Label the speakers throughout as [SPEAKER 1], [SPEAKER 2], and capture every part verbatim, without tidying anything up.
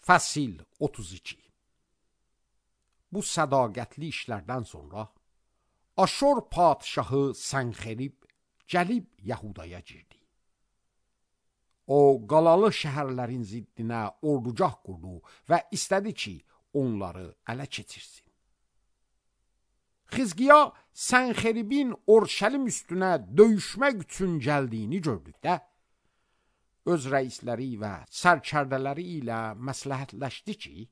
[SPEAKER 1] Fəsil otuz iki. Bu sədaqətli işlərdən sonra Aşur padşahı Sənxerib gəlib Yəhudaya girdi. O, qalalı şəhərlərin ziddinə ordugah qurdu və istədi ki, onları ələ keçirsin. Xizqiya Sənxeribin Orşəlim üstünə döyüşmək üçün gəldiyini gördükdə, öz rəisləri və sərkərdələri ilə məsləhətləşdi ki,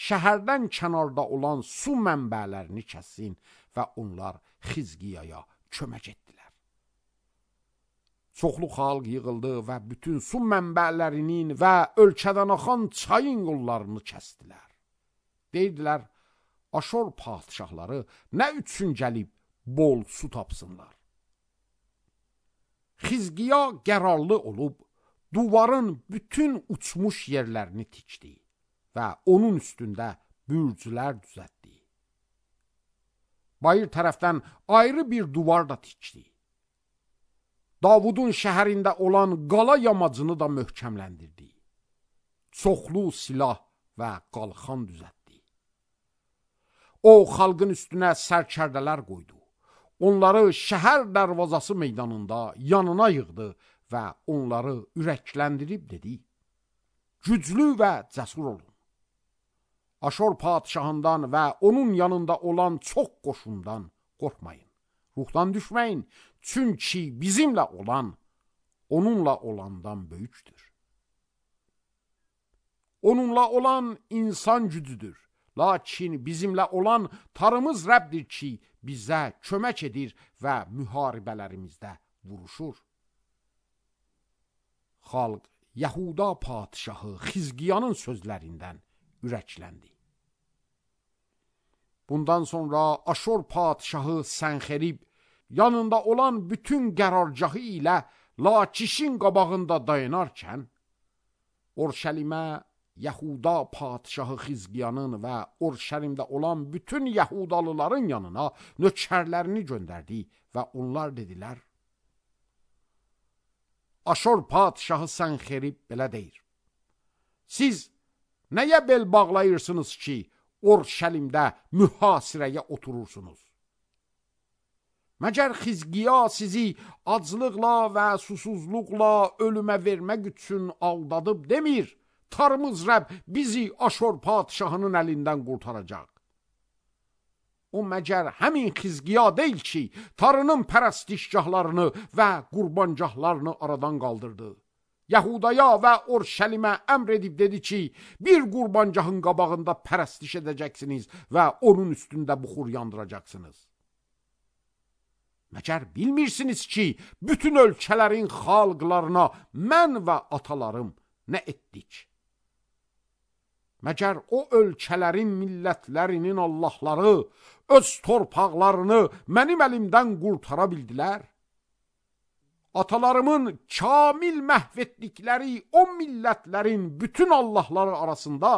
[SPEAKER 1] şəhərdən kənarda olan su mənbələrini kəssin və onlar Xizqiyaya kömək etdilər. Çoxlu xalq yığıldı və bütün su mənbələrinin və ölkədən axan çayın yollarını kəsdilər. Deydilər, Aşur padşahları nə üçün gəlib bol su tapsınlar? Xizqiya qərarlı olub, duvarın bütün uçmuş yerlərini tikdi və onun üstündə bürcülər düzəltdi. Bayır tərəfdən ayrı bir duvar da tikdi. Davudun şəhərində olan qala yamacını da möhkəmləndirdi. Çoxlu silah və qalxan düzəltdi. O, xalqın üstünə sərkərdələr qoydu. Onları şəhər dərvazası meydanında yanına yığdı və onları ürəkləndirib dedi, güclü və cəsur olun. Aşur padşahından və onun yanında olan çox qoşundan qorxmayın. Ruhdan düşməyin, çünki bizimlə olan, onunla olandan böyükdür. Onunla olan insan gücüdür, lakin bizimlə olan Tanrımız Rəbdir ki, bizə kömək edir və müharibələrimizdə vuruşur. Xalq Yahuda padşahı Xizqiyanın sözlərindən ürəkləndi. Bundan sonra Aşur padşahı Sənxerib yanında olan bütün qərargahı ilə Lakişin qabağında dayanarkən, Orşəlimə Yahuda padşahı Xizqiyanın və Orşəlimdə olan bütün Yahudalıların yanına nökərlərini göndərdi və onlar dedilər, Aşur padşahı Sənxerib belə deyir, siz nəyə bel bağlayırsınız ki, Orşəlimdə mühasirəyə oturursunuz? Məgər Xizqiya sizi aclıqla və susuzluqla ölümə vermək üçün aldadıb demir, Tanrımız Rəbb bizi Aşur padşahının əlindən qurtaracaq. O məgər həmin Xizqiya deyil ki, Tanrının pərəstişgahlarını və qurbancahlarını aradan qaldırdı. Yahudaya və Orşəlimə əmr edib dedi ki, bir qurbancahın qabağında pərəstiş edəcəksiniz və onun üstündə buxur yandıracaqsınız. Məgər bilmirsiniz ki, bütün ölkələrin xalqlarına mən və atalarım nə etdik? Məgər o ölkələrin millətlərinin Allahları öz torpaqlarını mənim əlimdən qurtara bildilər? Atalarımın kamil məhv etdikləri o millətlərin bütün Allahları arasında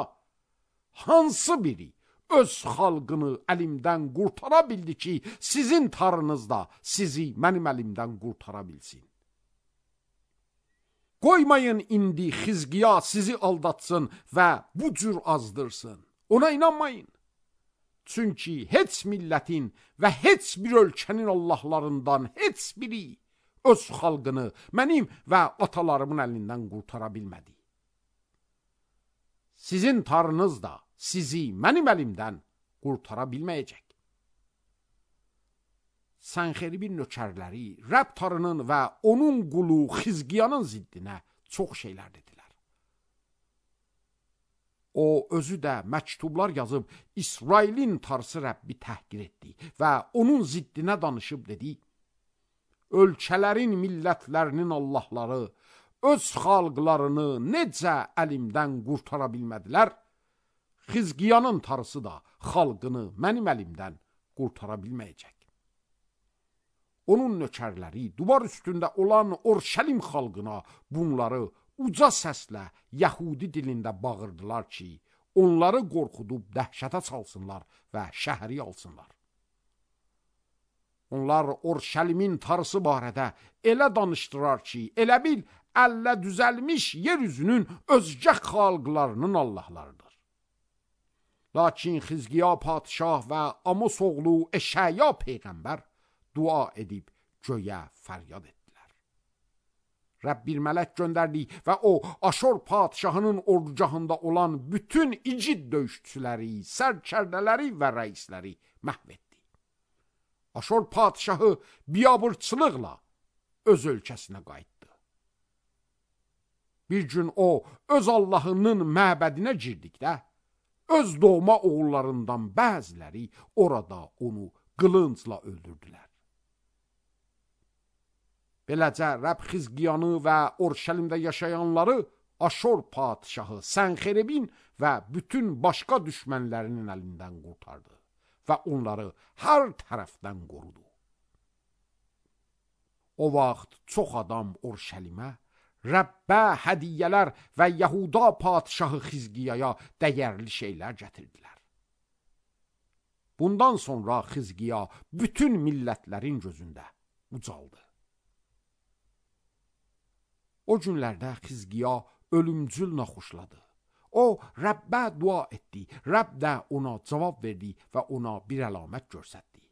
[SPEAKER 1] hansı biri öz xalqını əlimdən qurtara bildi ki, sizin Tanrınız da sizi mənim əlimdən qurtara bilsin? Qoymayın indi Xizqiya sizi aldatsın və bu cür azdırsın. Ona inanmayın. Çünki heç millətin və heç bir ölkənin Allahlarından heç biri öz xalqını mənim və atalarımın əlindən qurtara bilmədi. Sizin Tanrınız da sizi mənim əlimdən qurtara bilməyəcək. Sənxeribin nökərləri Rəbb Tanrının və onun qulu Xizqiyanın ziddinə çox şeylər dedilər. O özü də məktublar yazıb İsrailin Tanrısı Rəbbi təhqir etdi və onun ziddinə danışıb dedi, ölkələrin millətlərinin Allahları öz xalqlarını necə əlimdən qurtara bilmədilər, Xizqiyanın Tanrısı da xalqını mənim əlimdən qurtara bilməyəcək. Onun nökərləri duvar üstündə olan Orşəlim xalqına bunları uca səslə Yəhudi dilində bağırdılar ki, onları qorxudub dəhşətə salsınlar və şəhəri alsınlar. Onlar Orşəlimin Tanrısı barədə elə danışdırar ki, elə bil əllə düzəlmiş yeryüzünün özgə xalqlarının Allahlarıdır. Lakin Xizqiya padişah və Amos oğlu Eşaya peyğəmbər dua edib göyə fəryad etdilər. Rəbb bir mələk göndərdi və o Aşur padişahının ordugahında olan bütün igid döyüşçüləri, sərkərdələri və rəisləri məhv etdi. Aşur padişahı biabırçılıqla öz ölkəsinə qayıtdı. Bir gün o öz Allahının məbədinə girdikdə, öz doğma oğullarından bəziləri orada onu qılıncla öldürdülər. Beləcə Rəbb Xizqiyanı və Orşəlimdə yaşayanları Aşur padişahı Sənxeribin və bütün başqa düşmənlərinin əlindən qurtardı və onları hər tərəfdən qorudu. O vaxt çox adam Orşəlimə Rəbbə hədiyyələr və Yahuda padişahı Xizqiyaya dəyərli şeylər gətirdilər. Bundan sonra Xizqiya bütün millətlərin gözündə ucaldı. O günlərdə Xizqiya ölümcül naxoşladı. O Rəbbə dua etdi. Rəbb də ona cavab verdi və ona bir əlamət göstərdi.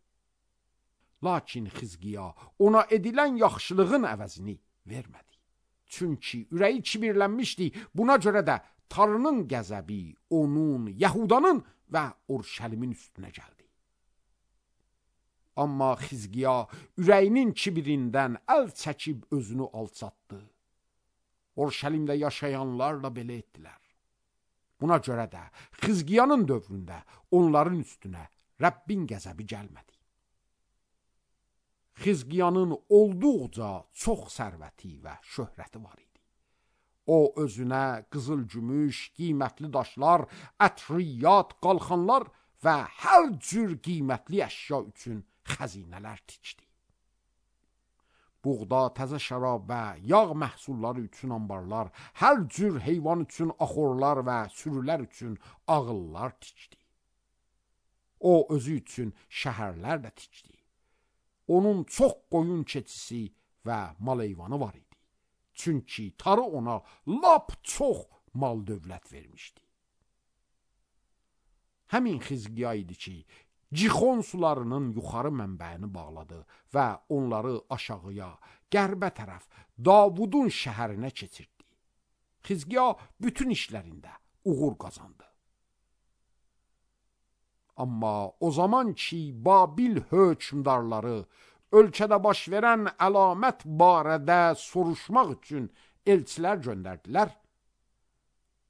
[SPEAKER 1] Lakin Xizqiya ona edilən yaxşılığın əvəzini vermədi. Çünki ürəyi kibirlənmişdi. Buna görə də Tanrının qəzəbi onun, Yahudanın və Orşəlimin üstünə gəldi. Amma Xizqiya ürəyinin kibirindən əl çəkib özünü alçatdı. Orşəlimdə yaşayanlar da belə etdilər. Buna görə də Xizqiyanın dövründə onların üstünə Rəbbin qəzəbi gəlmədi. Xizqiyanın olduqca çox sərvəti və şöhrəti var idi. O özünə qızıl gümüş, qiymətli daşlar, ətriyyat, qalxanlar və hər cür qiymətli əşya üçün xəzinələr tikdi. Buğda, təzə şərab və yağ məhsulları üçün anbarlar, hər cür heyvan üçün axorlar və sürülər üçün ağıllar tikdi. O özü üçün şəhərlər də tikdi. Onun çox qoyun keçisi və mal heyvanı var idi. Çünki Tanrı ona lap çox mal dövlət vermişdi. Həmin Xizqiya idi ki, Cixon sularının yuxarı mənbəyini bağladı və onları aşağıya, qərbə tərəf Davudun şəhərinə keçirdi. Xizqiya bütün işlərində uğur qazandı. Amma o zaman ki, Babil hökmdarları ölkədə baş verən əlamət barədə soruşmaq üçün elçilər göndərdilər,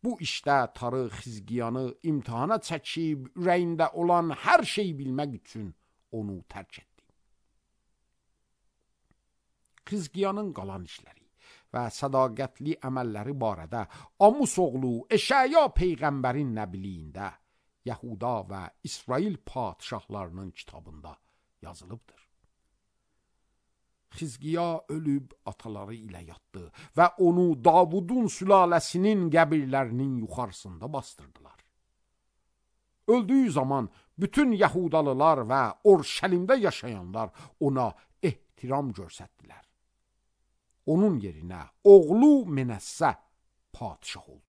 [SPEAKER 1] bu işdə Tanrı Xizqiyanı imtihana çəkib, ürəyində olan hər şeyi bilmək üçün onu tərk etdi. Xizqiyanın qalan işləri və sədaqətli əməlləri barədə Amos oğlu Eşaya peyğəmbərin nəbiliyində Yahuda və İsrail padişahlarının kitabında yazılıbdır. Xizqiya ölüb ataları ilə yatdı və onu Davudun sülaləsinin qəbirlərinin yuxarısında bastırdılar. Öldüyü zaman bütün Yahudalılar və Orşəlimdə yaşayanlar ona ehtiram göstərdilər. Onun yerinə oğlu Menəssə padişah oldu.